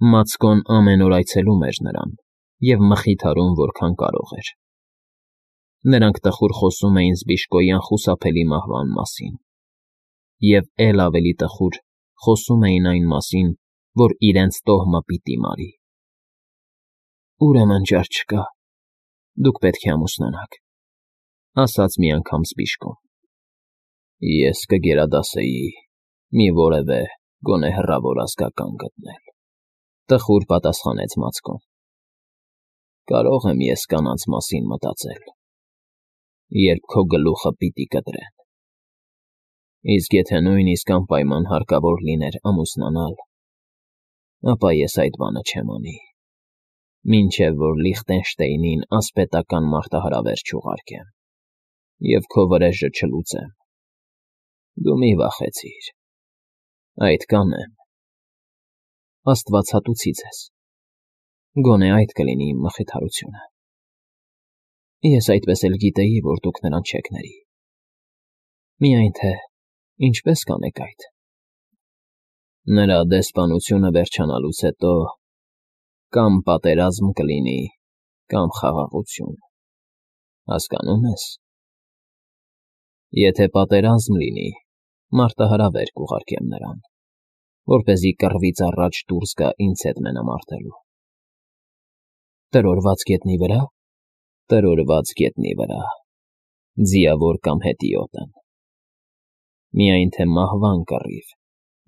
Մացկոն ամեն օր այցելում էր նրան և մխիթարում որքան կարող էր։ Նրանք տխուր խոսում էին զբիշկոյի անխուսափելի մահվան մասին և էլ ավելի տխուր խոսում էին այն մասին, որ իրենց տոհմը պիտի մարի։ «Ուրեմն ճար չկա, դուք պետք է ամուսնանաք,֊ ասաց մի անգամ զբիշկոն։ «Ես կգերադասեի մի որևէ, գոնե հեռավոր ազգական գտնել,֊ տխուր պատասխանեց Մացկոն։ «Կարող եմ ես կանանց մասին մտածել, երբ քո գլուխը պիտի կտրեն, իսկ եթե նույնիսկ անպայման հարկավոր լիներ ամուսնանալ, ապա ես այդ բանը չեմ անի, մինչև որ Լիխտենշտեյնին ասպետական մարտահրավեր չուղարկեմ և քո վրեժը չլուծեմ։ Դու մի վախեցիր, այդ կանեմ»։ Աստվածատուցի ձեզ, գոնե այդ կլինի իմ մխիթարությունը։ Ես այդպես էլ գիտեի, որ դուք նրան չեք ների։ Միայն թե ինչպե՞ս կանեք այդ։ Նրա դեսպանությունը վերջանալուց հետո կամ պատերազմ կլինի, կամ խաղաղություն, հասկանո՞ւմ ես։ Եթե պատերազմ լինի, մարտահրավեր կուղարկեմ նրան, որպեսզի կռվից առաջ դուրս գա ինձ հետ մենամարտելու։ Տրորված գետնի վրա։ Տրորված գետնի վրա, ձիավոր կամ հետիոտն։ Միայն թե մահվան կռիվ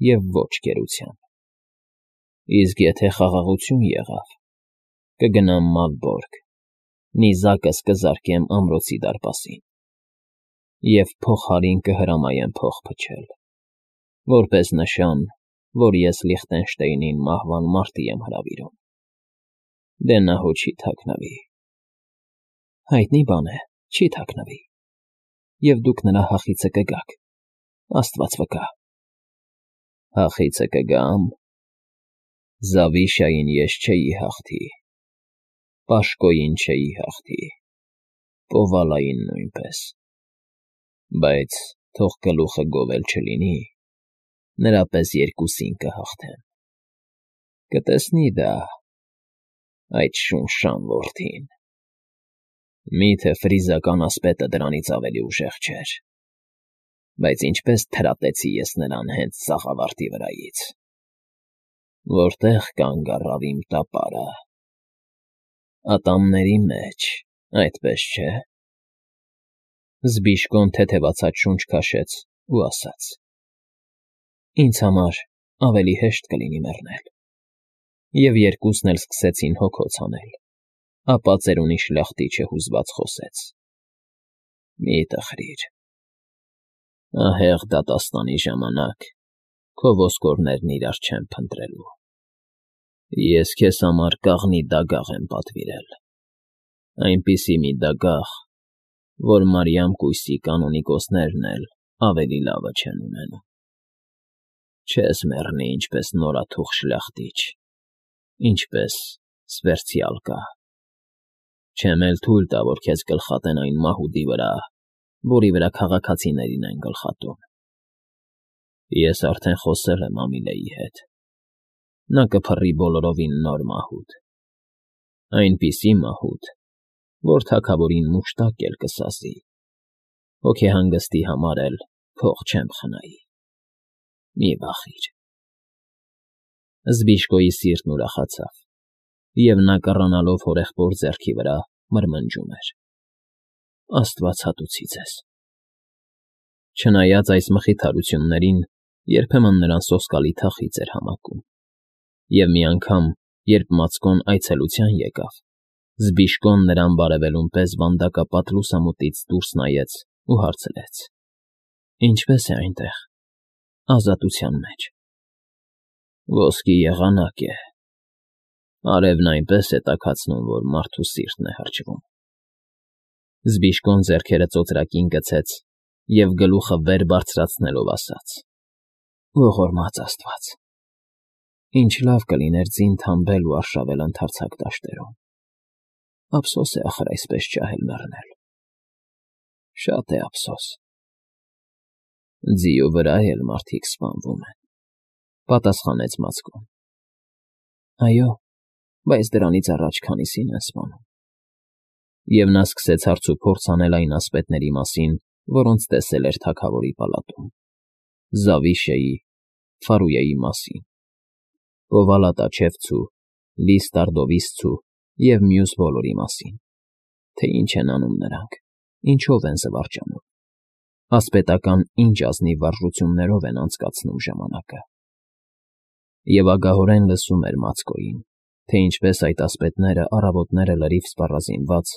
և ոչ գերության։ Իսկ եթե խաղաղություն եղավ, կգնամ Մալբորգ, նիզակս կզարկեմ ամրոցի դարպասին և փողահարին կհրամայեմ փող փչել, որպես նշան, որ ես Լիխտենշտեյնին մահվան մարտի եմ հրավիրում։ Դե նա հո չի թաքնվի։ Հայտնի բան է, չի թաքնվի, և դուք նրա հախիցը կգաք, Աստված վկա։ Հախիցը կգամ։ Զավիշային ես չէի հաղթի, Պաշկոյին չէի հաղթի, Պովալային նույնպես, բայց թող գլուխը գովել չլինի, նրա պես երկուսին կհաղթեմ։ Կտեսնի դա այդ շունշան որդին։ Միթե ֆրիզական ասպետը դրանից ավելի ուժեղ չէր, բայց ինչպես թրատեցի ես նրան հենց սաղավարտի վրայից, որտեղ կանգ առավ իմ տապարը։ Ատամների մեջ, այդպես չէ։ Զբիշկոն թեթևացած շունչ քաշեց ու ասաց. «Ինձ համար ավելի հեշտ կլինի մեռնել»։ Եվ երկուսն էլ սկսեցին հոգոց հանել, ապա ծերունի շլախտիչը հուզված խոսեց. «Մի տխրիր, ահեղ դատաստանի ժամանակ քո ոսկորներն իրար չեն փնտրելու։ Ես քեզ համար կաղնի դագաղ եմ պատվիրել, այնպիսի մի դագաղ, որ մարիամ կույսի կանոնիկոսներն էլ ավելի լավը չեն ունենում։ Չես մեռնի ինչպես նորաթուխ շլախտիչ, ինչպես սվերցյալկա։ Չեմ էլ թույլ տա, որ քեզ գլխատեն այն մահուդի վրա, որի վրա քաղաքացիներին են գլխատում։ Ես արդեն խոսել եմ Ամիլեի հետ, նա կփռի բոլորովին նոր մահուդ, այնպիսի մահուդ, որ թագավորին մուշտակ էլ կսասի, հոգեհանգստի համար էլ փող չեմ խնայի։ Մի վախիր»։ Զբիշկոյի սիրտն ուրախացավ, և նա կռանալով հորեղբոր ձեռքի վրա մրմնջում էր. «Աստվածատուցի ձեզ»։ Չնայած այս մխիթարություններին, երբեմն նրան սոսկալի թախիծ էր համակում, և մի անգամ, երբ Մացկոն այցելության եկավ, Զբիշկոն նրան բարևելուն պես վանդակապատ լուսամուտից դուրս նայեց ու հարցրեց. «Ինչպե՞ս է այնտեղ, ազատության մեջ»։ «Ոսկի եղանակ է, արևն այնպես է տաքացնում, որ մարդու սիրտն է հրճվում»։ Զբիշկոն ձեռքերը ծոծրակին գցեց և գլուխը վեր բարձրացնելով ասաց. «Ողորմած աստված, ինչ լավ կլիներ ձին թամբել ու արշավել ընդարձակ դաշտերում։ Ափսոս է ախր այսպես ջահել մեռնել։ Շատ է ափսոս»։ «Ձիու վրա էլ մարդիկ սպանվում են,֊ պատասխանեց Մացկոն։ Այո, բայց դրանից առաջ քանիսին են սպանում։ Եվ նա սկսեց հարցուփորձ անել այն ասպետների մասին, որոնց տեսել էր թագավորի պալատում. Զավիշեի, Ֆարույեի մասին, Պովալատաչևցու, Լիստարդովիսցու և մյուս բոլորի մասին, թե ինչ են անում նրանք, ինչով են զվարճանում, ասպետական ինչ ազնիվ վարժություններով են անցկացնում ժամանակը։ Եվ ագահորեն լսում էր Մացկոյին, թե ինչպես այդ ասպետները առավոտները լրիվ սպառազինված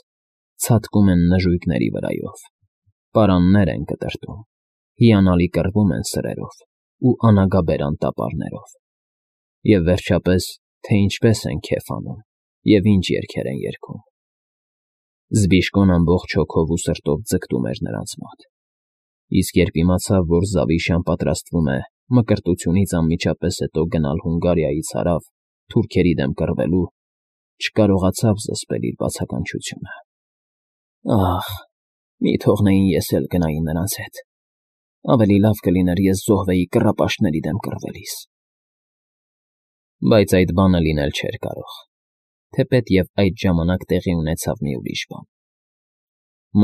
ցատկում են նժույգների վրայով, պարաններ են կտրտում, հիանալի կռվում են սրերով ու անագաբեր անտապարներով, և վերջապես, թե ինչպես են քեֆ անում և ինչ երգեր են երգում։ Զբիշկոն ամբողջ հոգով ու սրտով ձգտում էր նրանց մոտ, իսկ երբ իմացավ, որ Զավիշան պատրաստվում է մկրտությունից անմիջապես հետո գնալ Հունգարիայից հարավ թուրքերի դեմ կռվելու, չկարողացավ զսպել իր բացականչությունը։ Ախ, մի թողնեին ես էլ գնայի նրանց հետ, ավելի լավ կլիներ ես զոհվեի կռապաշտների դեմ կռվելիս։ Բայց այդ բանը լինել չէր կարող, թեպետ և այդ ժամանակ տեղի ունեցավ մի ուրիշ բան։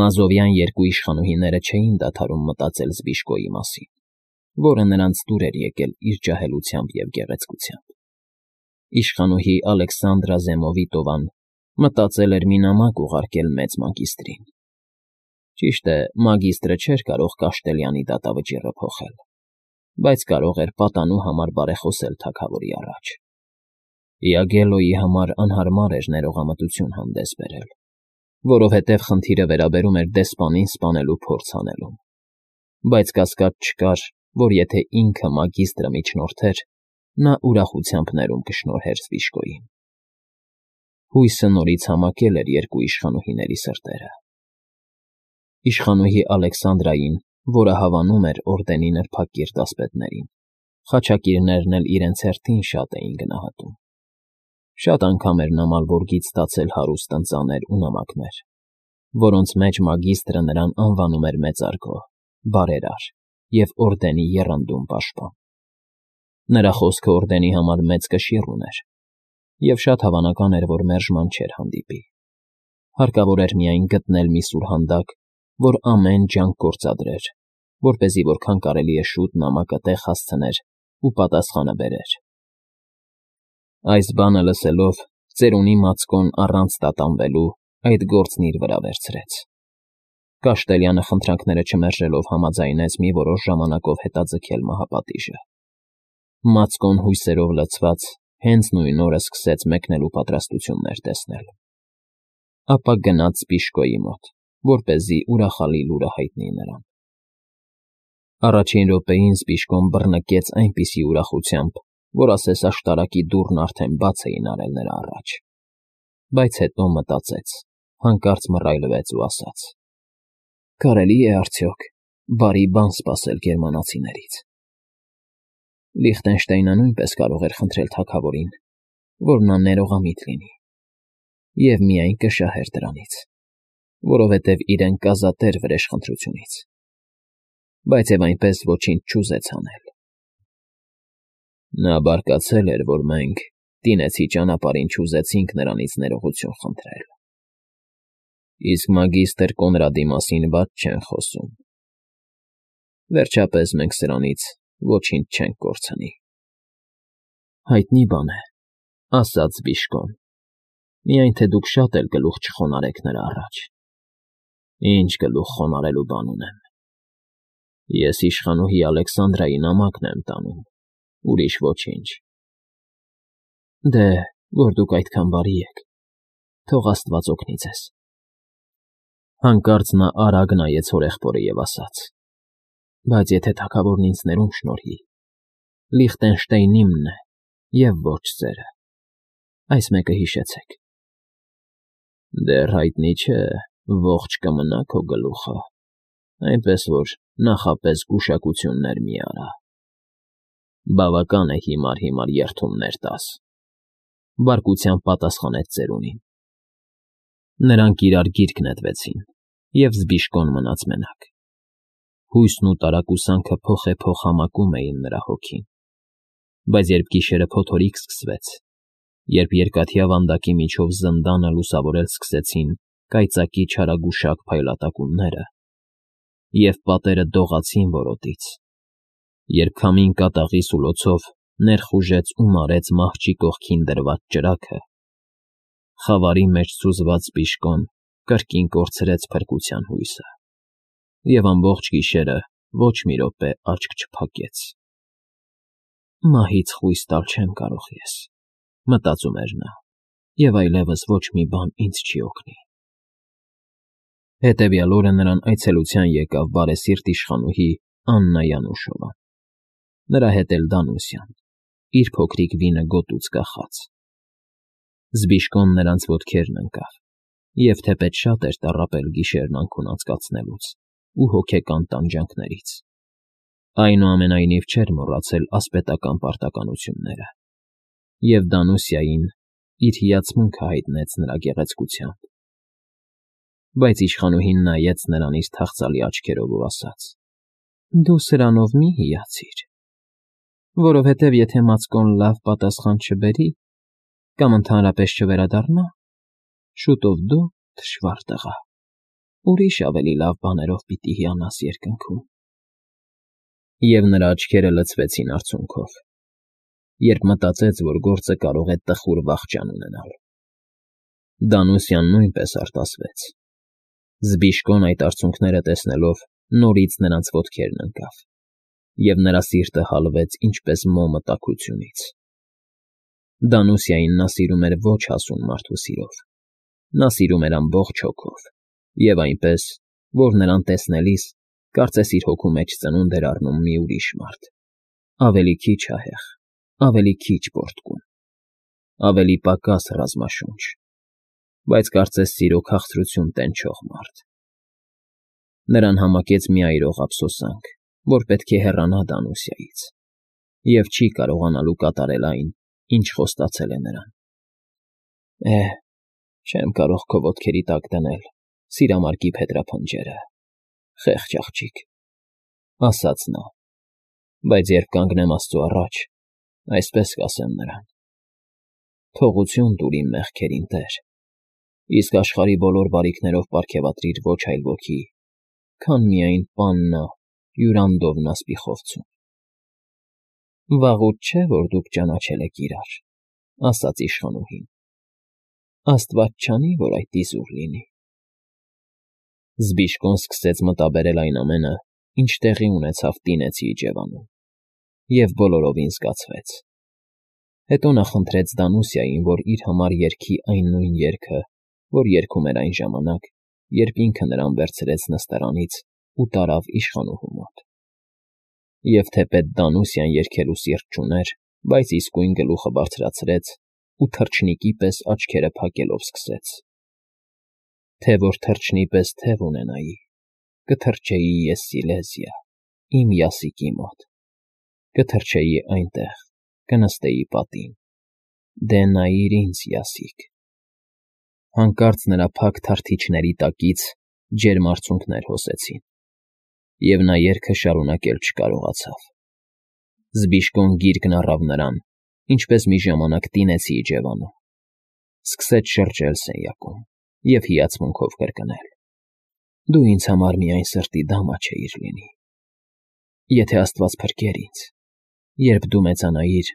Մազովյան երկու իշխանուհիները չէին դադարում մտածել Զբիշկոյի մասին, որը նրանց դուր էր եկել իր ջահելությամբ և գեղեցկությամբ։ Իշխանուհի Ալեքսանդրա Զեմովիտովան մտածել էր մի նամակ ուղարկել մեծ մագիստրին։ Ճիշտ է, մագիստրը չէր կարող Կաշտելյանի դատավճիռը փոխել, բայց կարող էր պատանու համար բարեխոսել թագավորի առաջ։ Իագելոյի համար անհարմար էր ներողամտություն հանդես բերել, որովհետև խնդիրը վերաբերում էր դեսպանին սպանելու փորձ անելուն, բայց կասկած չկար, որ եթե ինքը մագիստրը միջնորդեր, նա ուրախությամբ ներում կշնորհեր Զբիշկոյին։ Հույսը նորից համակել էր երկու իշխանուհիների սրտերը։ Իշխանուհի Ալեքսանդրային, որը հավանում էր օրդենի նրբակիրթ ասպետներին, խաչակիրներն էլ իրենց հերթին շատ էին գնահատում։ Շատ անգամ էր նամալ որգից ստացել հարուստ ընծաներ ու նամակներ, որոնց մեջ մագիստրը նրան անվանում էր մեծարգո, բարերար և օրդենի եռանդուն պաշտպան։ Նրա խոսքը օրդենի համար մեծ կշիռ ուներ, և շատ հավանական էր, որ մերժման չէր հանդիպի։ Հարկավոր էր միայն գտնել մի սուրհանդակ, որ ամեն ջանք գործադրեր, որպեսզի որքան կարելի է շուտ նամակը տեղ հասցներ ու պատասխանը բերեր։ Այս բանը լսելով, ծերունի Մացկոն առանց տատանվելու այդ գործն իր վրա վերցրեց։ Կաշտելյանը խնդրանքները չմերժելով համաձայնեց մի որոշ ժամանակով հետաձգել մահապատիժը։ Մացկոն հույսերով լցված հենց նույն օրը սկսեց մեկնելու պատրաստություններ տեսնել։ Ապա գնաց Զբիշկոյի մոտ, որպեսզի ուրախալի լուրը հայտնի նրան։ Առաջին րոպեին Զբիշկոն բռնկեց այնպիսի ուրախությամբ, որ ասես աշտարակի դուռն արդեն բաց էին արել նրա առաջ։ Բայց հետո մտածեց, հանկարծ մռայլվեց ու ասաց. «Կարելի՞ է արդյոք բարի բան սպասել գերմանացիներից»։ Լիխտենշտեյնը նույնպես կարող էր խնդրել թագավորին, որ նա ներողամիտ լինի, և միայն կշահեր դրանից, որովհետև իրեն կազատեր վրեժխնդրությունից, բայց և այնպես ոչինչ չուզեց անել։ Նա բարկացել էր, որ մենք տինեցի ճանապարհին չուզեցինք նրանից ներողություն խնդրել։ Իսկ մագիստր Կոնրադի մասին բաց չեն խոսում։ Վերջապես մենք սրանից ոչինչ չենք կորցնի։ Հայտնի բան է, ասաց Զբիշկոն, միայն թե դուք շատ էլ գլուխ չխոնարհեք նրա առաջ։ Ինչ գլուխ խոնարհելու բան ունեմ։ Ես իշխանուհի Ալեքսանդրայի նամակն եմ տանում, ուրիշ ոչինչ։ Դե, որ դուք այդքան բարի եք, թող Աստված օգնի ձեզ։ Հանկարծ նա արագ նայեց հորեղբորը և ասաց. բայց եթե թագավորն ինձ ներում շնորհի, Լիխտենշտեյնն իմն է և ոչ ձերը։ Այս մեկը հիշեցեք։ Դեռ հայտնի չէ, ողջ կմնա քո գլուխը, այնպես որ նախապես գուշակություններ մի արա։ Բավական է հիմար երդումներ տաս, բարկությամբ պատասխանեց ծերունին։ Նրանք իրար գիրկ նետվեցին, և Զբիշկոն մնաց մենակ։ Հույսն ու տարակուսանքը փոխ համակում էին նրա հոգին, բայց երբ գիշերը փոթորիկ սկսվեց, Երբ երկաթյա վանդակի միջով զնդանը լուսավորել սկսեցին կայծակի չարագուշակ փայլատակումները, և պատերը դողացին որոտից, երբ քամին կատաղի սուլոցով ներխուժեց ու մարեց մահճի կողքին դրված ճրագը, խավարի մեջ սուզված Բիշկոն կրկին կորցրեց փրկության հույսը, և ամբողջ գիշերը ոչ մի րոպե աչք չփակեց։ «Մահից խույս տալ չեմ կարող ես», մտածում էր նա, և այլևս ոչ մի բան ինձ չի օգնի։ Հետևյալ օրը նրան այցելության եկավ բարեսիրտ իշխանուհի Աննա Յանուշովան, նրա հետ էլ Դանուսյան, իր փոքրիկ վինը գոտուց կախած։ Զբիշկոն նրանց ոտքերն ընկավ, և թեպետ շատ էր տառապել գիշերն անքուն անցկացնելուց ու հոգեկան տանջանքներից, այնուամենայնիվ չէր մոռացել ասպետական պարտականությունները, և Դանուսիային իր հիացմունքը հայտնեց նրա գեղեցկությամբ։ Բայց իշխանուհին նայեց նրան իր թախծալի աչքերով ու ասաց. «Դու սրանով մի հիացիր, որովհետև եթե Մացկոն լավ պատասխան չբերի կամ ընդհանրապես չվերադառնա, շուտով դու, թշվառ տղա, ուրիշ ավելի լավ բաներով պիտի հիանաս երկնքում»։ Եվ նրա աչքերը լցվեցին արցունքով, երբ մտածեց, որ գործը կարող է տխուր վախճան ունենալ։ Դանուսյան նույնպես արտասվեց։ Զբիշկոն այդ արցունքները տեսնելով նորից նրանց ոտքերն ընկավ, և նրա սիրտը հալվեց ինչպես մոմը տաքությունից։ Դանուսիային նա սիրում էր ոչ հասուն մարդու սիրով, նա սիրում էր ամբողջ հոգով, և այնպես, որ նրան տեսնելիս կարծես իր հոգու մեջ ծնունդ էր առնում մի ուրիշ մարդ, ավելի քիչ ահեղ, ավելի քիչ պոռթկուն, ավելի պակաս ռազմաշունչ, բայց կարծես սիրո քաղցրություն տենչող մարդ։ Նրան համակեց մի այրող ափսոսանք, որ պետք է հեռանա Դանուսիայից, և չի կարողանալու կատարել այն, ինչ խոստացել է նրան։ Չեմ կարող քո ոտքերի տակ դնել սիրամարգի փետրափնջերը, խեղճ աղջիկ, ասաց նա, բայց երբ կանգնեմ Աստծու առաջ, այսպես կասեմ նրան. «Թողություն տուր իմ մեղքերին, Տեր, իսկ աշխարհի բոլոր բարիքներով պարգևատրիր ոչ այլ ոքի, քան միայն պաննա Յուրանդովնա Սպիխովցուն»։ «Վաղուց չէ, որ դուք ճանաչել եք իրար», ասաց իշխանուհին։ «Աստված չանի, որ այդ իզուր լինի»։ Զբիշկոն սկսեց մտաբերել այն ամենը, ինչ տեղի ունեցավ Տինեցի իջևանում, և բոլորովին զգացվեց։ Հետո նա խնդրեց Դանուսիային, որ իր համար երգի այն նույն երգը, որ երգում էր այն ժամանակ, երբ ինքը նրան վերցրեց նստարանից ու տարավ իշխանուհու մոտ։ Եվ թեպետ Դանուսիան երգելու սիրտ չուներ, բայց իսկույն գլուխը բարձրացրեց ու թռչնիկի պես աչքերը փակելով սկսեց. «Թե որ թռչնի պես թև ունենայի, կթռչեի ես Սիլեզիա, իմ Յասիկի մոտ, կթռչեի այնտեղ, կնստեի պատին, դե նայիր ինձ, Յասիկ»։ Հանկարծ նրա փակ թարթիչների տակից ջերմ արցունքներ հոսեցին, և նա երգը շարունակել չկարողացավ։ Զբիշկոն գիրկն առավ նրան, ինչպես մի ժամանակ Տինեցի իջևանում, սկսեց շրջել սենյակում և հիացմունքով կրկնել. «Դու ինձ համար միայն սրտի դամա չէիր լինի։ Եթե Աստված փրկեր ինձ, երբ դու մեծանայիր,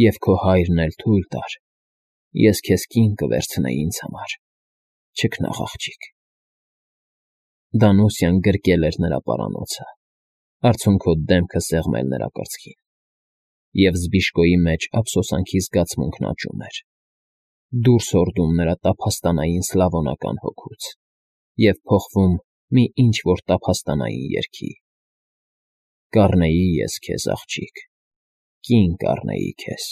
և քո հայրն էլ թույլ տար, ես քեզ կին կվերցնեի ինձ համար, չքնաղ աղջիկ»։ Դանուսյան գրկել էր նրա պարանոցը, արցունքոտ դեմքը սեղմել նրա կրծքին, և Զբիշկոյի մեջ ափսոսանքի զգացմունքն աճում էր, դուրս հորդում նրա տափաստանային սլավոնական հոգուց և փոխվում մի ինչ֊որ տափաստանային երգի. «Կառնեի ես քեզ, աղջիկ, կին կառնեի քեզ»։